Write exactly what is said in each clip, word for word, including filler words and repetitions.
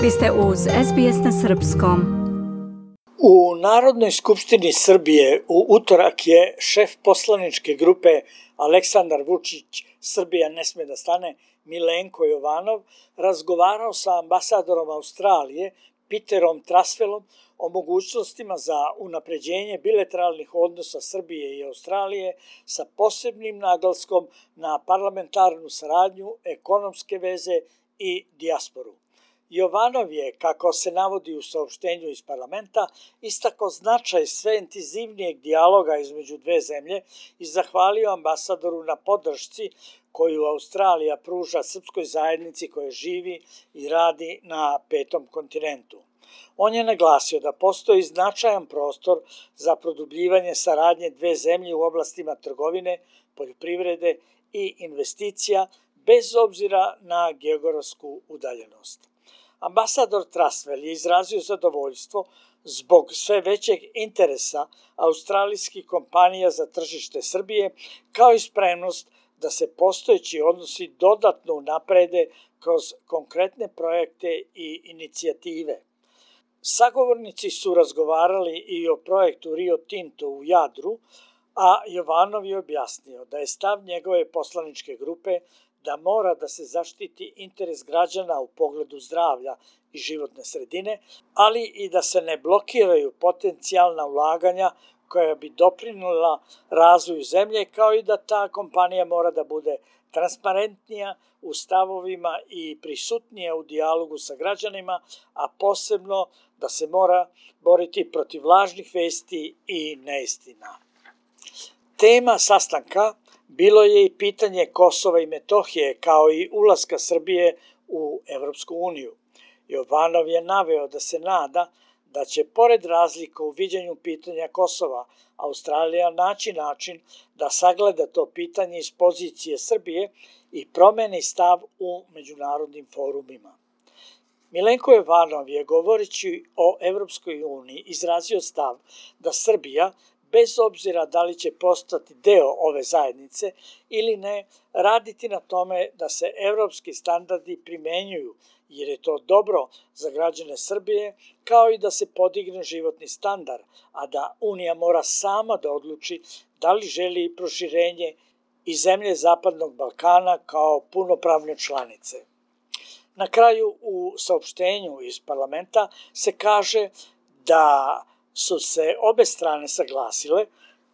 Vi ste uz S B S na srpskom. U Narodnoj skupštini Srbije u utorak je šef poslaničke grupe Aleksandar Vučić Srbija ne sme da stane, Milenko Jovanov, razgovarao sa ambasadorom Australije Peterom Trasvelom o mogućnostima za unapređenje bilateralnih odnosa Srbije i Australije sa posebnim naglaskom na parlamentarnu saradnju, ekonomske veze i dijasporu. Jovanov je, kako se navodi u saopštenju iz parlamenta, istakao značaj sve intenzivnijeg dijaloga između dve zemlje i zahvalio ambasadoru na podršci koju Australija pruža srpskoj zajednici koja živi i radi na petom kontinentu. On je naglasio da postoji značajan prostor za produbljivanje saradnje dve zemlje u oblastima trgovine, poljoprivrede i investicija, bez obzira na geografsku udaljenost. Ambasador Trasvel je izrazio zadovoljstvo zbog sve većeg interesa australijskih kompanija za tržište Srbije, kao i spremnost da se postojeći odnosi dodatno unaprede kroz konkretne projekte i inicijative. Sagovornici su razgovarali i o projektu Rio Tinto u Jadru, a Jovanov je objasnio da je stav njegove poslaničke grupe da mora da se zaštiti interes građana u pogledu zdravlja i životne sredine, ali i da se ne blokiraju potencijalna ulaganja koja bi doprinula razvoju zemlje, kao i da ta kompanija mora da bude transparentnija u stavovima i prisutnija u dijalogu sa građanima, a posebno da se mora boriti protiv lažnih vesti i neistina. Tema sastanka bilo je i pitanje Kosova i Metohije, kao i ulaska Srbije u Evropsku uniju. Jovanov je naveo da se nada da će, pored razlika u viđenju pitanja Kosova, Australija naći način da sagleda to pitanje iz pozicije Srbije i promeni stav u međunarodnim forumima. Milenko Jovanov je, govoreći o Evropskoj uniji, izrazio stav da Srbija, bez obzira da li će postati deo ove zajednice ili ne, raditi na tome da se evropski standardi primenjuju, jer je to dobro za građane Srbije, kao i da se podigne životni standard, a da Unija mora sama da odluči da li želi proširenje i zemlje Zapadnog Balkana kao punopravne članice. Na kraju, u saopštenju iz parlamenta se kaže da su se obe strane saglasile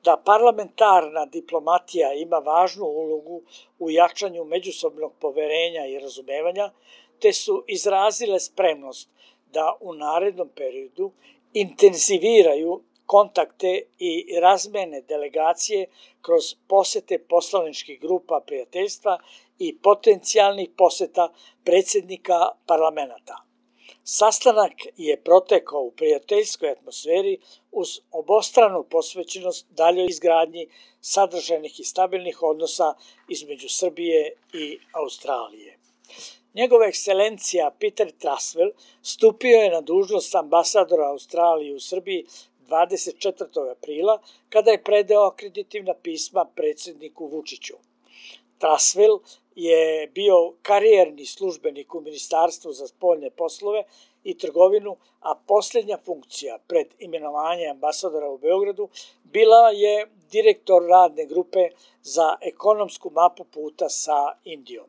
da parlamentarna diplomatija ima važnu ulogu u jačanju međusobnog poverenja i razumevanja, te su izrazile spremnost da u narednom periodu intenziviraju kontakte i razmene delegacije kroz posete poslaničkih grupa prijateljstva i potencijalnih poseta predsjednika parlamenta. Sastanak je protekao u prijateljskoj atmosferi uz obostranu posvećenost daljoj izgradnji sadržajnih i stabilnih odnosa između Srbije i Australije. Njegova ekscelencija Peter Trasvel stupio je na dužnost ambasadora Australije u Srbiji dvadeset četvrtog aprila, kada je predao akreditivna pisma predsjedniku Vučiću. Trasvel je bio karijerni službenik u Ministarstvu za spoljne poslove i trgovinu, a posljednja funkcija pred imenovanje ambasadora u Beogradu bila je direktor radne grupe za ekonomsku mapu puta sa Indijom.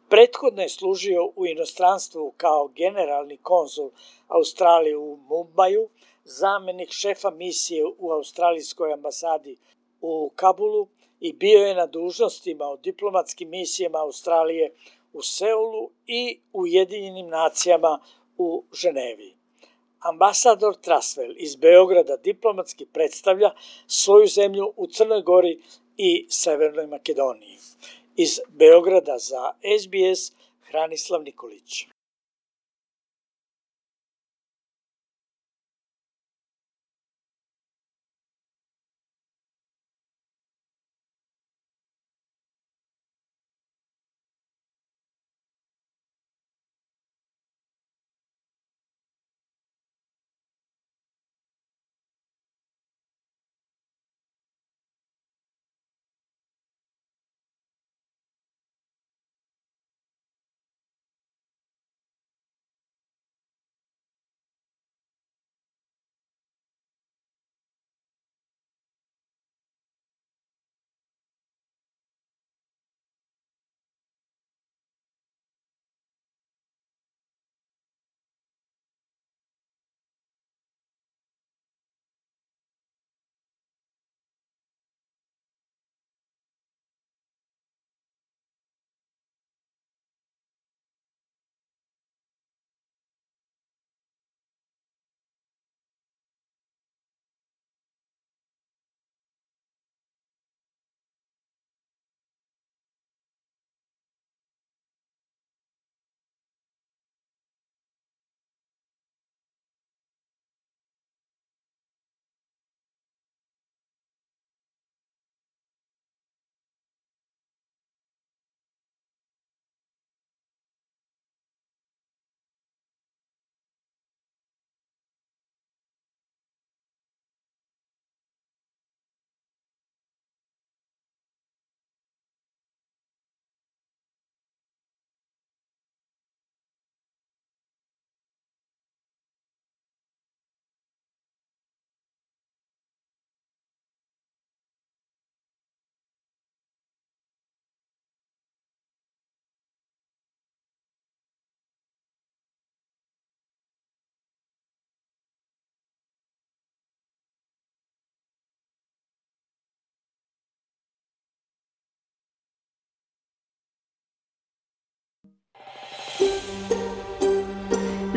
Prethodno je služio u inostranstvu kao generalni konzul Australije u Mumbaju, zamenik šefa misije u australijskoj ambasadi u Kabulu i bio je na dužnostima u diplomatskim misijama Australije u Seulu i Ujedinjenim nacijama u Ženevi. Ambasador Trasvel iz Beograda diplomatski predstavlja svoju zemlju u Crnoj Gori i Severnoj Makedoniji. Iz Beograda za S B S, Hranislav Nikolić.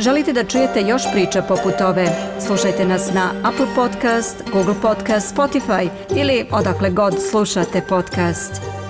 Želite da čujete još priča poput ove? Slušajte nas na Apple Podcast, Google Podcast, Spotify ili odakle god slušate podcast.